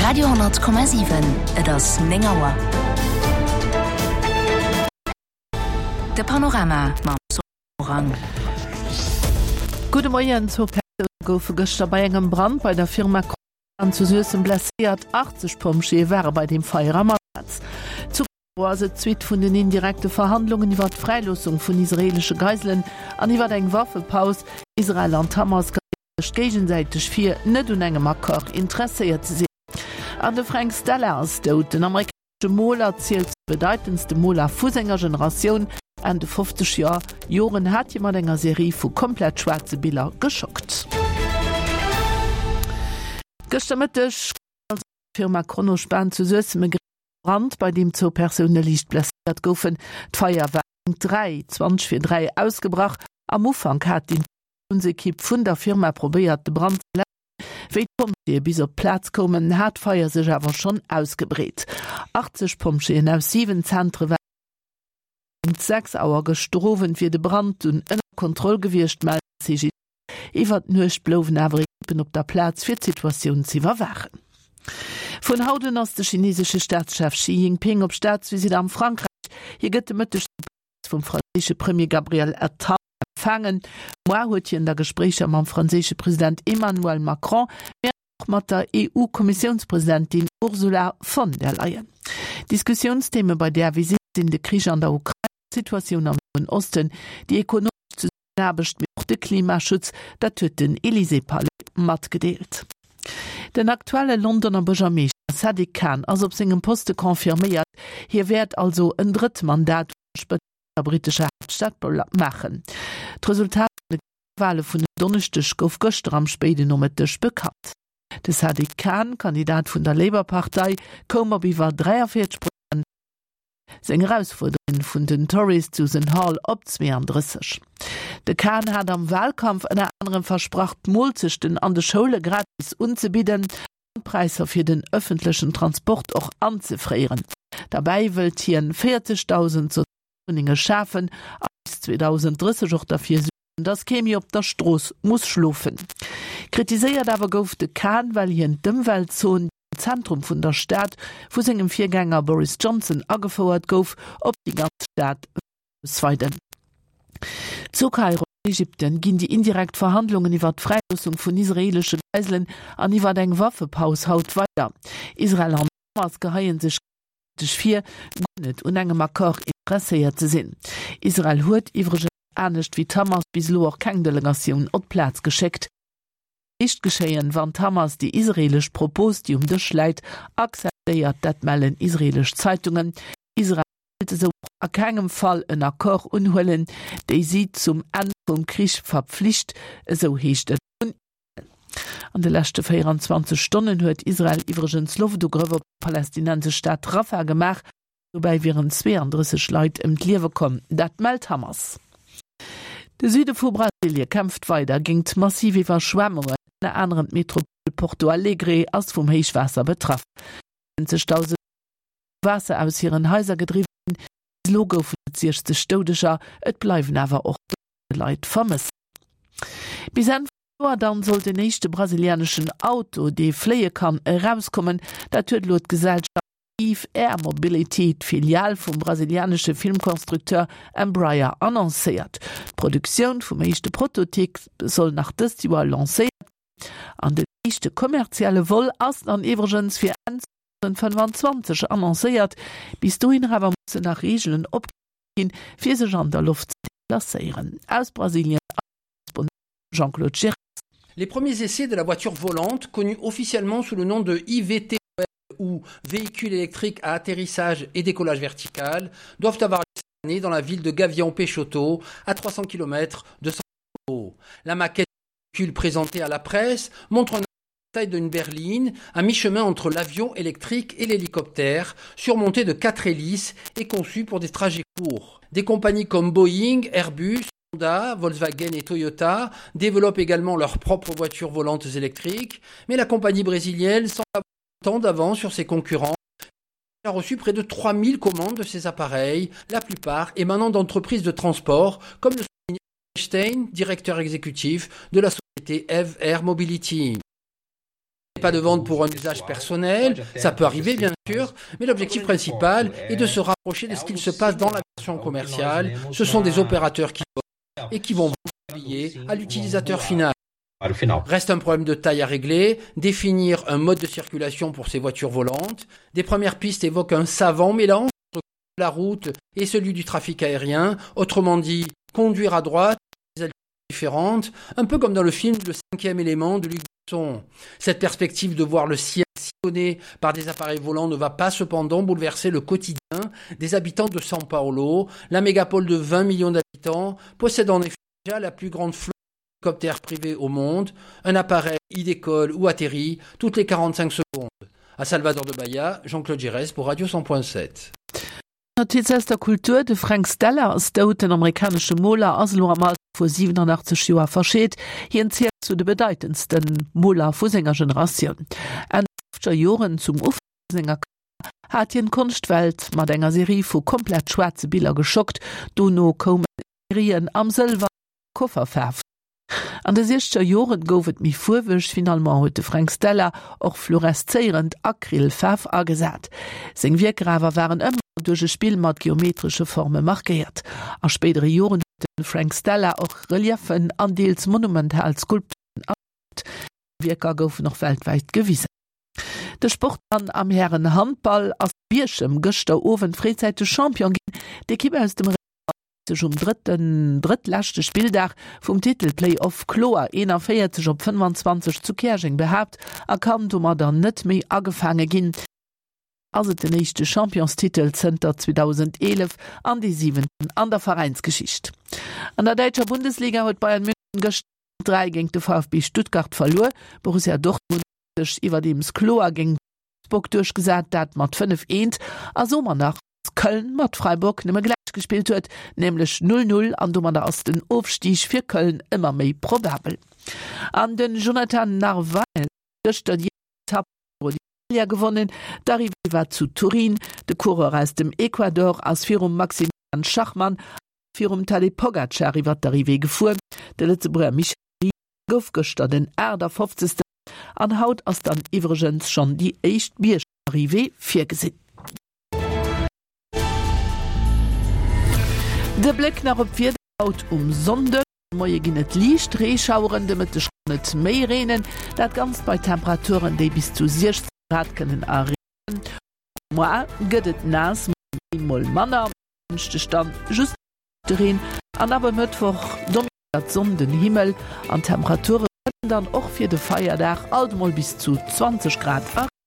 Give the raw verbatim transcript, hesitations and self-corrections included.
Radio honnert Komma siwen, Et ass néng Auer. De Panorama mam Soran. Gudde Moien, Zwou Persoune goufe gëschter bei engem Brand bei der Firma Kronan zu Suessem blesséiert. achtzeg Pompjeeë ware bei deem Feier am Asaz. Zu Kairo ass et d'Suite vun den indirekte Verhandlungen iwwer d'Fräiloossung vun israeelesche Geiselen an iwwer eng Waffepaus. Israel an d'Hamas geheien sech géigesäiteg vir, net un engem Accord interesséiert ze sinn. An de Frank Stella ass dout. Den amerikanesche Moler zielt zu de bedeitendste Moler vu senger Generatioun. Enn de fofzeger Joren hat hie mat enger Serie vu komplett schwaarze Biller geschockt. Gëschter Mëtteg gouf also an der Firma Kronospan zu Suessem e gréissere Brand, bei deem zwou Persoune liicht blesséiert goufen. D'Feier war géint dräi, zwanzeg vir dräi ausgebrach. Am Ufank hat d'Interventiounsekipp vun der Firma probéiert, de Brand ze läschen. Wéi d'Pompjeeë bis op d'Plaz koumen, hat d'Feier sech awer schonn ausgebreet. achtzeg Pompjeeën aus siwen Zentre waren Géint sechs Auer gëschter Owend wier de Brand dunn ënner Kontroll gewiescht, mellt de C G D S. Iwwer d'Nuecht blouwen awer Ekippen op der Plaz, fir d'Situatioun z'iwwerwaachen. Vun haut un ass de chinesesche Staatschef Xi Jinping op Staatsvisitt am Frankräich. Hie gëtt de Mëtteg zu Paräis vum franséische Premier Gabriel Attal empfaangen. Moar huet hien da Gespréicher mam franséische President Emmanuel Macron, mee och mat der E U-Kommissiounspresidentin Ursula von der Leyen. Diskussiounstheme bei där Visitt sinn de Krich an der Ukrain, d'Situatioun am Noen Osten, déi ekonomesch Zesummenaarbecht, mee och de Klimaschutz, dat huet den Élysée-Palais matgedeelt. Den aktuelle Londoner Buergermeeschter Sadiq Khan ass op sengem Poste confirméiert. Hie wäert also en drëtt Mandat un der Spëtzt vun der brittescher Haaptstad maachen. D'Resultat vun de Gemengewale vun en Donneschdeg gouf gëschter am spéiden Nomëtteg bekannt. De Sadiq Khan, Kandidat vun der Labour-Partei, koum op iwwer dräianvéierzeg Prozent der Stëmmen, seng Erausfuerderin vun den Tories, d'Susan Hall, op zweeandrësseg. De Khan hat am Walkampf ënner anerem versprach, d'Moolzechten an de Schoule gratis unzebidden an d'Präisser fir den ëffentlechen Transport och anzefréieren. Derbäi wëllt hien véierzegdausend Sozialwunnenge schafen a bis zweedausenddrësseg och derfir suergen, datt kee méi op der Strooss muss schlofen. Kritiséiert awer gouf de Khan, well hien d'Ëmweltzon, déi am Zentrum vun der Stad vu sengem Virgänger Boris Johnson agefouert gouf, op déi ganz Stad wëllt ausweiden. Zu Kairo an Ägypten ginn déi indirekt Verhandlungen iwwer d'Fräiloossung vun israeelesche Geiselen an iwwer eng Waffepaus haut weider. Israel an d'Hamas geheie sech géigesäiteg vir, guer net un engem Accord interesséiert ze sinn. Israel huet iwwregens, anescht wéi d'Hamas, bis elo och keng Delegatioun op d'Plaz geschéckt. Eréischt geschéien, wann d'Hamas déi israeelesch Propos, déi um Dësch läit, akzeptéiert, dat mellen israeelesch Zeitungen. Israel wéilt esou och a kengem Fall en Accord unhuelen, déi si zum Enn vum Krich verpflicht, esou heescht et vun Israel. An de leschte véieranzwanzeg Stonnen huet Israel iwwregens Loftugrëff op déi palästinensesch Stad Rafah gemaach. Dobäi wieren zweeandrësseg Leit ëm d'Liewe komm, dat mellt Hamas. De Süde vu Brasilie kämpft weider géingt massiv Iwwerschwemmungen. Ënner anerem d'Metropole Porto Alegre ass vum Héichwaasser betraff. Siwwenzegdausend Leit si vum Waasser aus hiren Haiser gedriwwe ginn. Bis elo goufen et siechzeg Doudeger, et bleiwen awer och Dosende Leit vermësst. Bis Enn vum Joer dann soll den éischte brasilianeschen Auto, dee fléie kann, erauskommen. Dat huet elo d'Gesellschaft Eve Air Mobility, d'Filial vum brasilianesche Filmkonstrukteur Embraer, annoncéiert. D'Produktioun vum éischte Prototyp soll nach dëst Joer lancéiert ginn an den éischte kommerzielle Vol ass dann iwwregens fir Enn zweedausendfënnfanzwanzeg annoncéiert. Bis dohinner awer mussen nach Reegelen opgestallt ginn, fir sech an der Loft ze deplacéieren. Aus Brasilien eise Korrespondent Jean-Claude Girres. Les premiers essais de la voiture volante, connue officiellement sous le nom de I V T O L ou véhicule électrique à atterrissage et décollage vertical, doivent avoir lieu cette année dans la ville de Gavião Peixoto, à trois cents kilomètres de São Paulo. La maquette du véhicule présentée à la presse montre un taille d'une berline, à mi-chemin entre l'avion électrique et l'hélicoptère, surmonté de quatre hélices et conçu pour des trajets courts. Des compagnies comme Boeing, Airbus, Honda, Volkswagen et Toyota développent également leurs propres voitures volantes électriques, mais la compagnie brésilienne semble avoir tant d'avance sur ses concurrents. Elle a reçu près de trois mille commandes de ces appareils, la plupart émanant d'entreprises de transport, comme le souligne Stein, directeur exécutif de la société Eve Air Mobility. Pas de vente pour un usage personnel, ça peut arriver bien sûr, mais l'objectif principal est de se rapprocher de ce qu'il se passe dans la version commerciale. Ce sont des opérateurs qui volent et qui vont billets à l'utilisateur final. Reste un problème de taille à régler, définir un mode de circulation pour ces voitures volantes. Des premières pistes évoquent un savant mélange entre la route et celui du trafic aérien, autrement dit, conduire à droite, des altitudes différentes, un peu comme dans le film Le cinquième élément de Luc Besson. Cette perspective de voir le ciel sillonné par des appareils volants ne va pas cependant bouleverser le quotidien des habitants de São Paulo. La mégapole de vingt millions d'habitants possède en effet déjà la plus grande flotte d'hélicoptères privés au monde. Un appareil y décolle ou atterrit toutes les quarante-cinq secondes. À Salvador de Bahia, Jean-Claude Giresse pour Radio cent point sept. Notiz aus der Kultur, De Frank Stella ass dout. Den amerikanesche Moler ass elo am Alter vu siwenanachtzeg Joer verscheet. Hien zielt zu de bedeitendste Moler vu senger Generatioun. Enn de fofzeger Joren, zum Ufank senger Karriär, hat hien d'Konschtwelt mat enger Serie vu komplett schwaarze Biller geschockt. Dono koumen Serien am Sëlwer a Kofferfaarf. An de siechzeger Joren gouf et méi fuerweg, finalement huet de Frank Stella och fluoreszéierend Acrylfaarf agesat. Seng Wierker awer waren ëmmer duerch e Spill mat geometresche Forme markéiert. A spéidere Joren huet de Frank Stella och Reliefen an deels monumental Skulpturen erschaaft. Seng Wierker goufen och weltwäit gewisen. De Sport dann am Hären-Handball ass Bierchem gëschter Owend fréizäiteg Champion ginn. D'Ekipp aus dem Réidener huet sech um drëtten, drëttleschte Spilldag vum Titel-Play-Off kloer eenanvéierzeg op fënnefanzwanzeg zu Käerjeng behaapt a kann domadder net méi agefaange ginn. Ass et den éischte Championstitel zënter zweedausendeelef an dee siwenten an der Veräinsgeschicht. An der däitscher Bundesliga huet Bayern München gëschter dräi géint de VfB Stuttgart verluer. Borussia Dortmund huet sech iwwerdeems kloer géint Wolfsburg duerchgesat, dat mat fënnef eent a somer nach dass Köln mat Freiburg nëmme gläich gespillt huet, nämlech null null an domadder ass den Ofstig fir Köln ëmmer méi probabel. An den Jonathan Narvaez huet gëschter déi éischt Etapp vum Giro d'Italia gewonnen. D'Arrivée war zu Turin. De Coureur aus dem Ecuador ass virum Maximilian Schachmann a virum Tadej Pogacar iwwer d'Arrivée gefuer. De Lëtzebuerger Michel Ries gouf gëschter den aachtafofzegsten an haut ass dann iwwregens schonn déi éischt Biergarrivée virgesinn. De Bléck nach op d'Wieder haut um Sonnden. De Moie ginn et liicht Reeschaueren, de Mëtteg kann et méi reenen, dat Ganzt bei Temperaturen, déi bis zu siechzéng Grad kënnen erreechen. Moar gëtt et naass, mol méi, mol manner, en Dënschdeg dann just liichte Reen an ab e Mëttwoch dominéiert d'Sonn den Himmel an d'Temperature kënnen dann och fir de Feierdag alt mol bis zu zwanzeg Grad erreechen.